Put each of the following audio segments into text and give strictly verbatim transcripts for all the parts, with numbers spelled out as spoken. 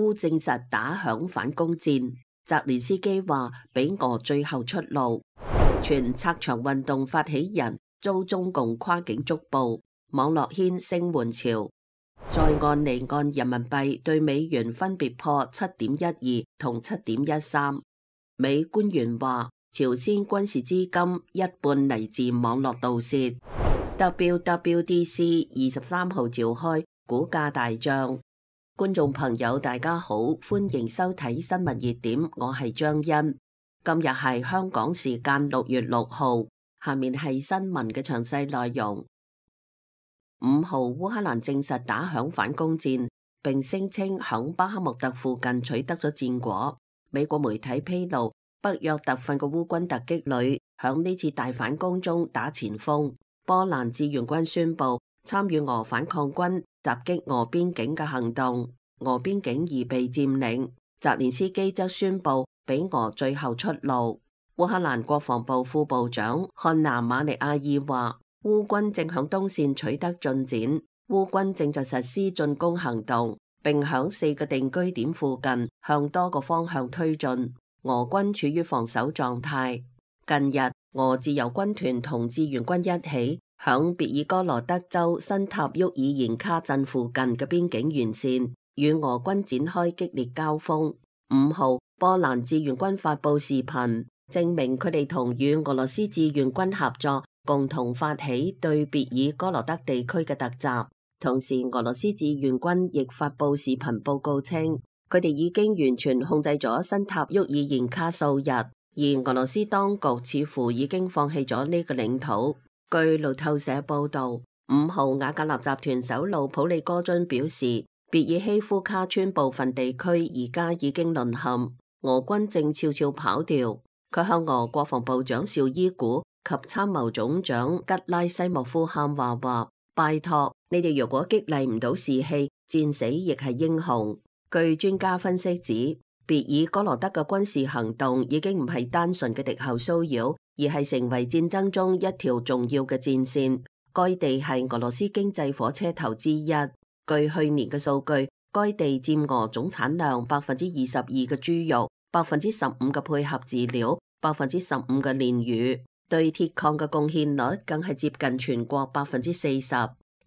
烏證實打響反攻戰。澤連斯基話俾俄最後出路。全拆牆運動發起人遭中共跨境捉捕，網絡掀聲援潮。在岸離岸人民幣對美元分別破七點一二同七點一三。美官員話朝鮮軍事資金一半嚟自網絡盜竊。W W D C 二十三號召開，股價大漲。觀眾朋友大家好，歡迎收睇新聞熱點，我係張欣。今日係香港時間六月六號，下面係新聞嘅詳細內容。五號烏克蘭證實打響反攻戰，並聲稱響巴克穆特附近取得咗戰果。美國媒體披露，北約特訓嘅烏軍突擊旅響呢次大反攻中打前鋒。波蘭志願軍宣布參與俄反抗軍襲擊俄邊境嘅行動，俄邊境已被佔領。澤連斯基則宣布俾俄最後出路。烏克蘭國防部副部長漢娜馬利亞爾話，烏軍正響東線取得進展，烏軍正在實施進攻行動，並響四個定居點附近向多個方向推進。俄軍處於防守狀態。近日，俄自由軍團同志願軍一起響別爾哥羅德州新塔沃爾延卡鎮附近嘅邊境沿線與俄軍展開激烈交鋒。五號，波蘭志願軍發佈視頻，證明佢哋同與俄羅斯志願軍合作，共同發起對別爾哥羅德地區嘅突襲。同時，俄羅斯志願軍亦發佈視頻報告稱，佢哋已經完全控制咗新塔沃爾延卡數日。而俄羅斯當局似乎已經放棄咗呢個領土。據路透社報道，五號瓦格納集團首腦普利戈津表示，別爾希夫卡村部分地區而家已經淪陷，俄軍正悄悄跑掉。佢向俄國防部長紹伊古及參謀總長吉拉西莫夫喊話話：拜託，你哋如果激勵唔到士氣，戰死亦係英雄。據專家分析指，別爾哥羅德嘅軍事行動已經唔係單純嘅敵後騷擾，而係成為戰爭中一條重要嘅戰線。該地係俄羅斯經濟火車頭之一。據去年嘅數據，該地佔俄總產量百分之二十二嘅豬肉，百分之十五嘅配合飼料，百分之十五嘅煉乳，對鐵礦嘅貢獻率更係接近全國百分之四十。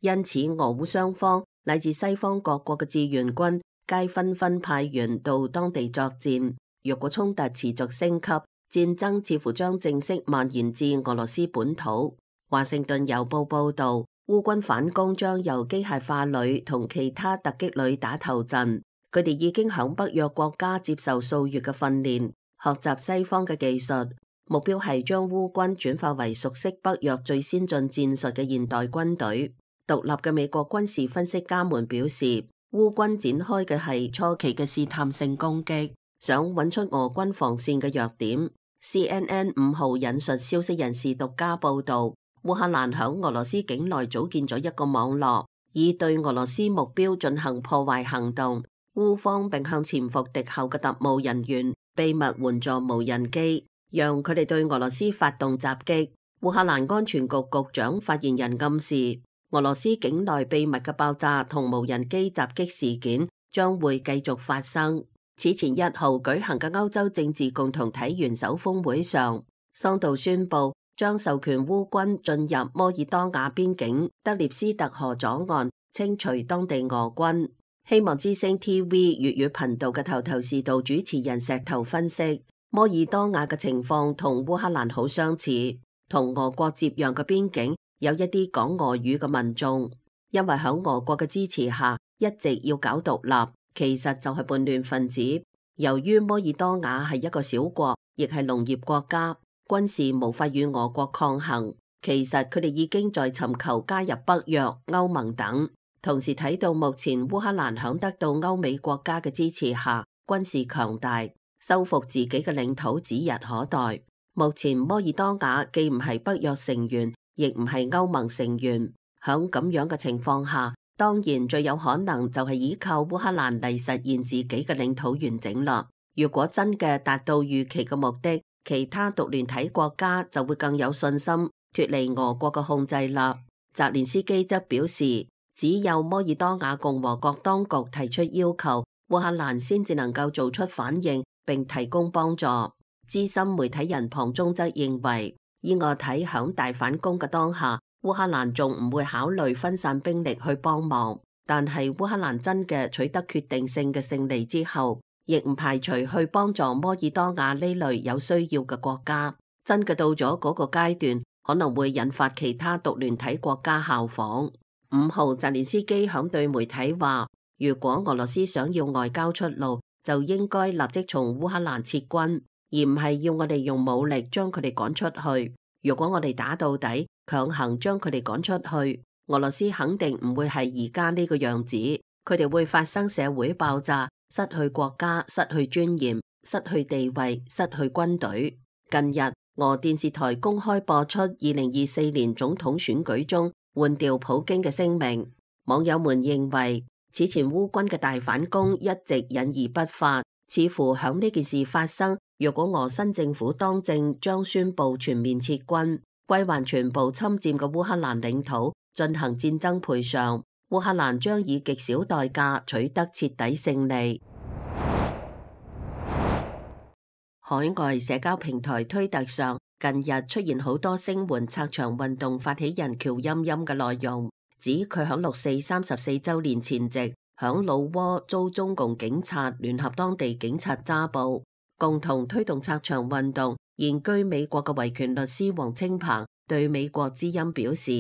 因此，俄烏雙方乃至西方各國嘅志願軍皆紛紛派員到當地作戰。若果衝突持續升級，戰爭似乎將正式蔓延至俄羅斯本土。華盛頓郵報報道，烏軍反攻將由機械化旅同其他突擊旅打頭陣。佢哋已經響北約國家接受數月嘅訓練，學習西方嘅技術，目標係將烏軍轉化為熟悉北約最先進戰術嘅現代軍隊。獨立嘅美國軍事分析家們表示，烏軍展開嘅係初期嘅試探性攻擊，想揾出俄軍防線嘅弱點。C N N 五號引述消息人士獨家報道，烏克蘭響俄羅斯境內組建咗一個網絡，以對俄羅斯目標進行破壞行動。烏方並向潛伏敵後嘅特務人員秘密援助無人機，讓佢哋對俄羅斯發動襲擊。烏克蘭安全局局長發言人暗示，俄羅斯境內秘密嘅爆炸同無人機襲擊事件將會繼續發生。此前一號舉行嘅歐洲政治共同體元首峰會上，桑杜宣布將授權烏軍進入摩爾多瓦邊境德涅斯特河左岸，清除當地俄軍。希望之聲 T V 粵語頻道嘅頭頭是道主持人石頭分析，摩爾多瓦嘅情況同烏克蘭好相似，同俄國接壤嘅邊境有一啲講俄語嘅民眾，因為喺俄國嘅支持下一直要搞獨立，其實就係叛亂分子。由於摩爾多瓦係一個小國，亦係農業國家，軍事無法與俄國抗衡，其實佢哋已經在尋求加入北約、歐盟等。同時睇到目前烏克蘭響得到歐美國家嘅支持下，軍事強大，收復自己嘅領土指日可待。目前摩爾多瓦既唔係北約成員，亦唔係歐盟成員，響咁樣嘅情況下，當然最有可能就係依靠烏克蘭嚟實現自己嘅領土完整啦。如果真嘅達到預期嘅目的，其他獨聯體國家就會更有信心脫離俄國嘅控制啦。澤連斯基則表示，只有摩爾多瓦共和國當局提出要求，烏克蘭先至能夠做出反應並提供幫助。資深媒體人龐中則認為，依我睇響大反攻嘅當下，烏克蘭仲唔會考慮分散兵力去幫忙，但係烏克蘭真嘅取得決定性嘅勝利之後，亦唔排除去幫助摩爾多瓦呢類有需要嘅國家。真嘅到咗嗰個階段，可能會引發其他獨聯體國家效仿。五號，澤連斯基響對媒體話，如果俄羅斯想要外交出路，就應該立即從烏克蘭撤軍，而唔係要我哋用武力將佢哋趕出去。如果我哋打到底，強行將佢哋趕出去，俄羅斯肯定唔會係而家呢個樣子，佢哋會發生社會爆炸，失去國家，失去尊嚴，失去地位，失去軍隊。近日，俄電視台公開播出二零二四年總統選舉中換掉普京嘅聲明，網友們認為此前烏軍嘅大反攻一直隱而不發，似乎響呢件事發生，若果俄新政府當政，將宣布全面撤軍，歸還全部侵佔嘅烏克蘭領土，進行戰爭賠償，烏克蘭將以極小代價取得徹底勝利。海外社交平台推特上近日出現好多聲援拆牆運動發起人喬欽欽嘅內容，指佢響六四三十四周年前夕響老撾遭中共警察聯合當地警察揸捕，共同推動拆牆運動。現居美國嘅維權律師黃清鵬對美國之音表示，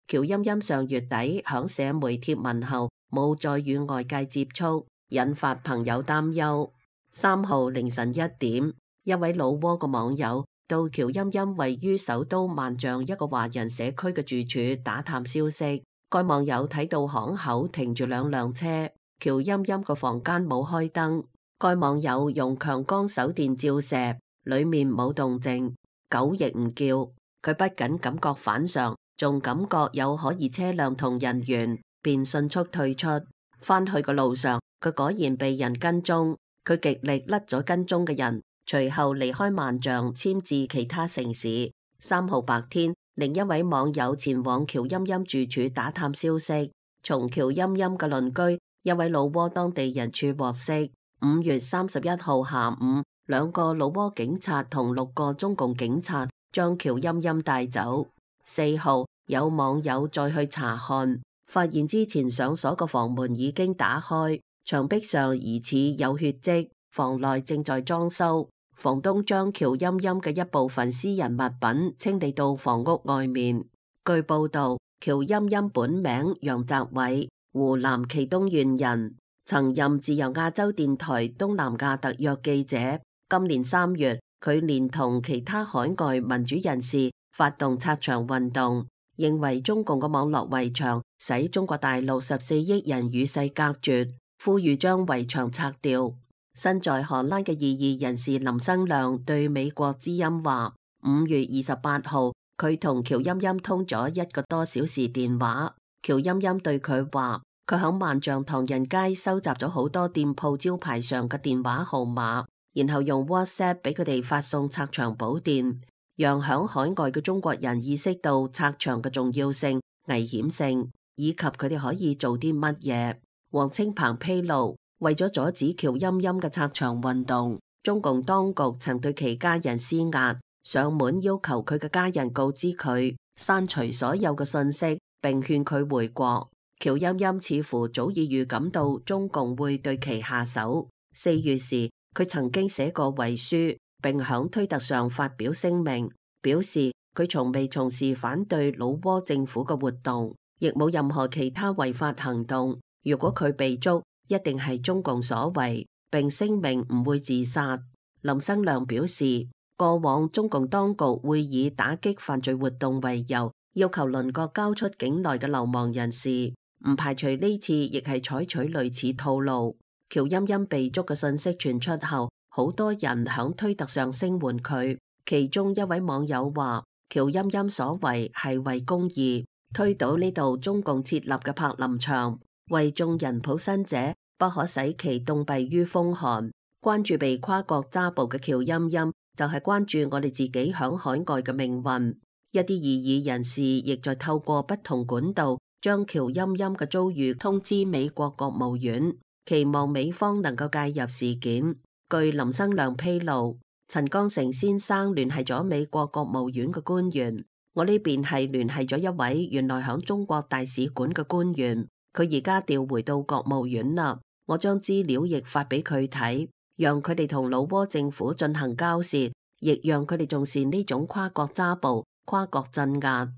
喬欽欽上月底響社媒貼文後冇再與外界接觸，引發朋友擔憂。三號凌晨一點，一位老撾嘅網友到喬欽欽位於首都萬象一個華人社區嘅住處打探消息。該網友睇到巷口停住兩輛車，喬欽欽個房間冇開燈。該網友用強光手電照射，裏面冇動靜，狗亦唔叫。佢不僅感覺反常，仲感覺有可疑車輛同人員，便迅速退出。返去嘅路上，佢果然被人跟蹤，佢極力甩咗跟蹤嘅人，隨後離開萬象，遷至其他城市。三號白天，另一位網友前往喬欽欽住處打探消息，從喬欽欽嘅鄰居一位老撾當地人處獲悉，五月三十一號下午，兩個老撾警察同六個中共警察將喬欽欽帶走。四號，有網友再去查看，發現之前上鎖嘅房門已經打開，牆壁上疑似有血跡，房內正在裝修。房東將喬欽欽嘅一部分私人物品清理到房屋外面。據報道，喬欽欽本名楊澤偉，湖南祁東縣人，曾任自由亞洲電台東南亞特約記者。今年三月，佢連同其他海外民主人士發動拆牆運動，認為中共嘅網絡圍牆使中國大陸十四億人與世隔絕，呼籲將圍牆拆掉。身在荷蘭嘅異議人士林生亮對美國之音話，五月二十八號佢同喬欽欽通咗一個多小時電話。喬欽欽對佢話，佢響萬象唐人街收集咗好多店鋪招牌上嘅電話號碼，然後用 WhatsApp 俾佢哋發送拆牆補電，讓響海外嘅中國人意識到拆牆嘅重要性、危險性，以及佢哋可以做啲乜嘢。黃清鵬披露，為咗阻止喬欽欽嘅拆牆運動，中共當局曾對其家人施壓，上門要求佢嘅家人告知佢刪除所有嘅信息，並勸佢回國。喬欽欽似乎早已預感到中共會對其下手。四月時，佢曾經寫過遺書，並響推特上發表聲明，表示佢從未從事反對老撾政府嘅活動，亦冇任何其他違法行動。如果佢被捉，一定係中共所為，並聲明唔會自殺。林生亮表示，過往中共當局會以打擊犯罪活動為由，要求鄰國交出境內嘅流亡人士，唔排除呢次亦係採取類似套路。喬欽欽被捉嘅信息傳出後，好多人響推特上聲援佢，其中一位網友話，喬欽欽所為係為公義，推倒呢度中共設立嘅柏林牆，為眾人抱薪者不可使其凍斃於風寒。關注被跨國抓捕嘅喬欽欽，就係關注我哋自己響海外嘅命運。一啲異議人士亦在透過不同管道將喬欽欽嘅遭遇通知美國國務院。期望美方能夠介入事件。據林生亮披露，陳剛成先生聯繫咗美國國務院嘅官員，我呢邊係聯繫咗一位原來響中國大使館嘅官員，佢而家調回到國務院啦。我將資料亦發俾佢睇，讓佢哋同老撾政府進行交涉，亦讓佢哋重視呢種跨國抓捕、跨國鎮壓。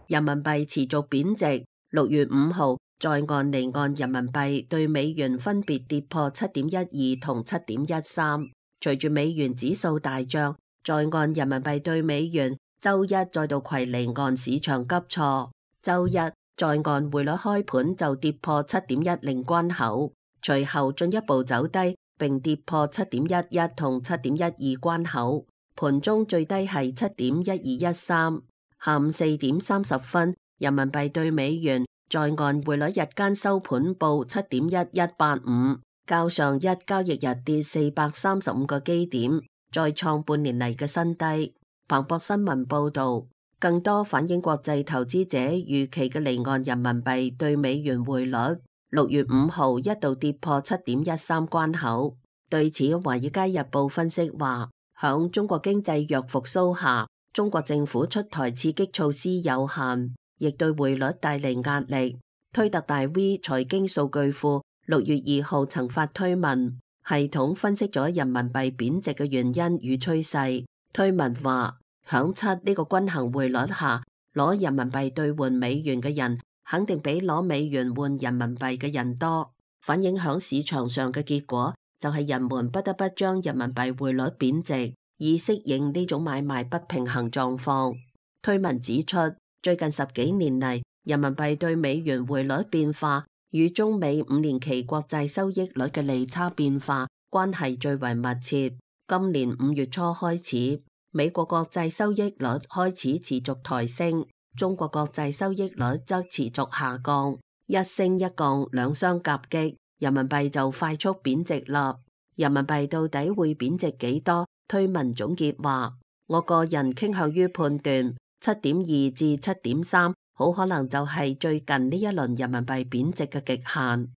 人民幣持續貶值，六月五號在岸離岸人民幣對美元分別跌破七點一二同七點一三。隨住美元指數大漲，在岸人民幣對美元周一再度攜離岸市場急挫。周一在岸匯率開盤就跌破七點一零關口，隨後進一步走低，並跌破七點一一同七點一二關口。盤中最低係七點一二一三。下午四點三十分，人民幣對美元在岸匯率日間收盤報七點一一八五，較上一交易日跌四百三十五個基點，再創半年嚟嘅新低。彭博新聞報道，更多反映國際投資者預期嘅離岸人民幣對美元匯率，六月五號一度跌破七點一三關口。對此，《華爾街日報》分析話，響中國經濟弱復甦下，中國政府出台刺激措施有限，亦對匯率帶嚟壓力。推特大 V 財經數據庫六月二號曾發推文，系統分析咗人民幣貶值嘅原因與趨勢。推文話，響七呢個均衡匯率下，攞人民幣兌換美元嘅人肯定比攞美元換人民幣嘅人多，反映響市場上嘅結果就係人們不得不將人民幣匯率貶值，以適應呢種買賣不平衡狀況。推文指出，最近十幾年嚟，人民幣對美元匯率變化與中美五年期國債收益率嘅利差變化關係最為密切。今年五月初開始，美國國債收益率開始持續抬升，中國國債收益率則持續下降，一升一降，兩相夾擊，人民幣就快速貶值啦。人民幣到底會貶值幾多？推文總結話，我個人傾向於判斷七點二至七點三，好可能就係最近呢一輪人民幣貶值嘅極限。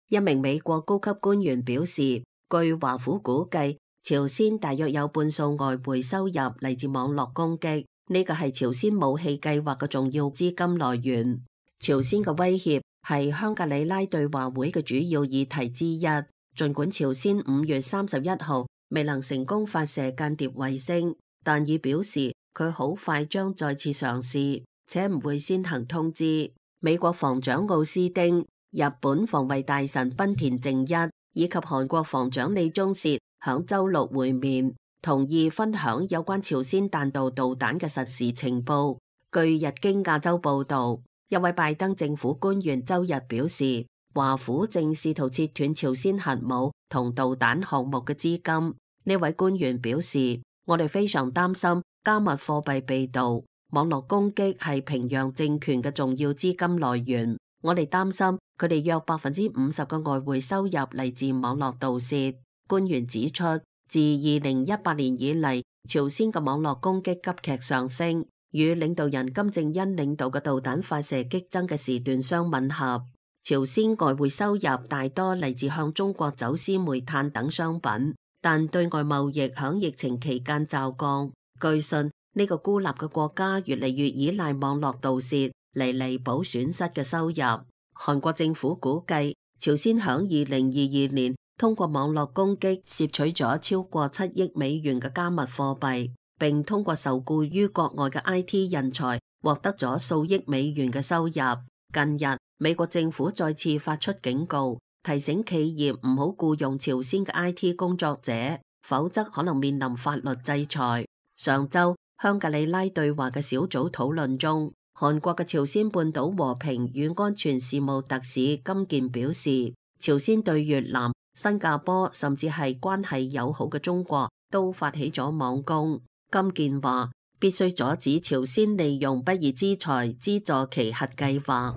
一名美國高級官員表示，據華府估計，朝鮮大約有半數外匯收入嚟自網絡攻擊，呢個係朝鮮武器計劃嘅重要資金來源。朝鮮嘅威脅係香格里拉對話會嘅主要議題之一。儘管朝鮮五月三十一號未能成功發射間諜衛星，但已表示佢好快將再次嘗試，且唔會先行通知。美國防長奧斯丁、日本防衛大臣濱田正一以及韓國防長李鐘燮響週六會面，同意分享有關朝鮮彈道導彈嘅實時情報。據日經亞洲報導，一位拜登政府官員週日表示，華府正試圖切斷朝鮮核武同導彈項目嘅資金。呢位官員表示，我哋非常擔心加密貨幣被盜，網絡攻擊係平壤政權嘅重要資金來源。我哋擔心佢哋約百分之五十嘅外匯收入嚟自網絡盜竊。官員指出，自二零一八年以嚟，朝鮮嘅網絡攻擊急劇上升，與領導人金正恩領導嘅導彈發射激增嘅時段相吻合。朝鮮外匯收入大多嚟自向中國走私煤炭等商品，但對外貿易響疫情期間驟降。據信呢個孤立嘅國家越嚟越依賴網絡盜竊嚟彌補損失嘅收入。韓國政府估計，朝鮮響二零二二年通過網絡攻擊竊取咗超過七億美元嘅加密貨幣，並通過受僱於國外嘅 I T 人才獲得咗數億美元嘅收入。近日，美國政府再次發出警告，提醒企業唔好僱用朝鮮嘅 I T 工作者，否則可能面臨法律制裁。上週，香格里拉對話嘅小組討論中，韓國嘅朝鮮半島和平與安全事務特使金健表示，朝鮮對越南、新加坡甚至係關係友好嘅中國都發起咗網攻。金健話，必須阻止朝鮮利用不義之財資助其核計劃。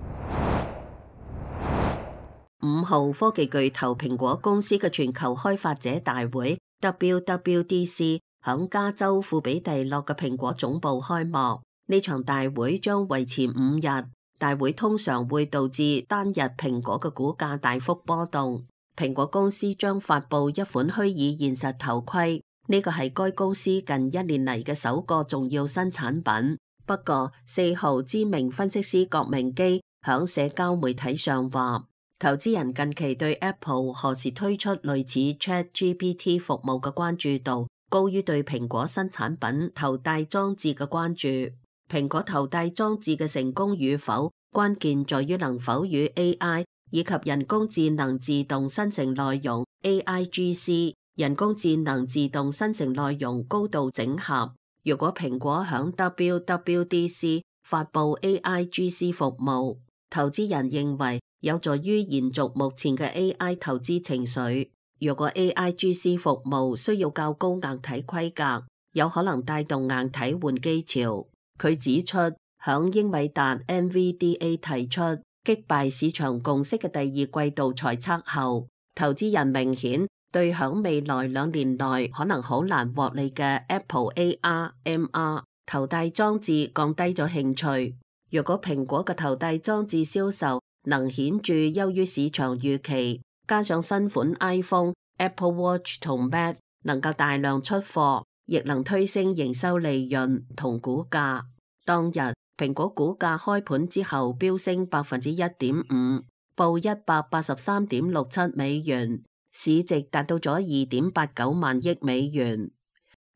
五號，科技巨頭蘋果公司嘅全球開發者大會 W W D C 響加州庫比蒂諾嘅蘋果總部開幕。呢場大會將維持五日，大會通常會導致單日蘋果嘅股價大幅波動。蘋果公司將發佈一款虛擬現實頭盔，呢個係該公司近一年嚟嘅首個重要新產品。不過四號知名分析師郭明基響社交媒體上話，投資人近期對 Apple 何時推出類似 ChatGPT 服務嘅關注度高於對蘋果新產品頭戴裝置嘅關注。蘋果頭戴裝置嘅成功與否，關鍵在於能否與 A I 以及人工智能自動生成內容 A I G C 人工智能自動生成內容高度整合。如果蘋果響 W W D C 發布 A I G C 服務，投資人認為有助於延續目前嘅 A I 投資情緒。如果 A I G C 服務需要較高硬體規格，有可能帶動硬體換機潮。佢指出，響英偉達 N V D A 提出擊敗市場共識嘅第二季度財測後，投資人明顯對響未來兩年內可能好難獲利嘅 Apple A R M R 頭戴裝置降低咗興趣。如果蘋果嘅頭戴裝置銷售能顯著優於市場預期，加上新款 iPhone、Apple Watch 同 Mac 能夠大量出貨，亦能推升營收利潤同股價。當日蘋果股價開盤之後飆升百分之一點五，報一百八十三點六七美元，市值達到咗二點八九萬億美元。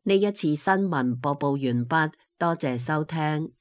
呢一次新聞播報完畢，多謝收聽。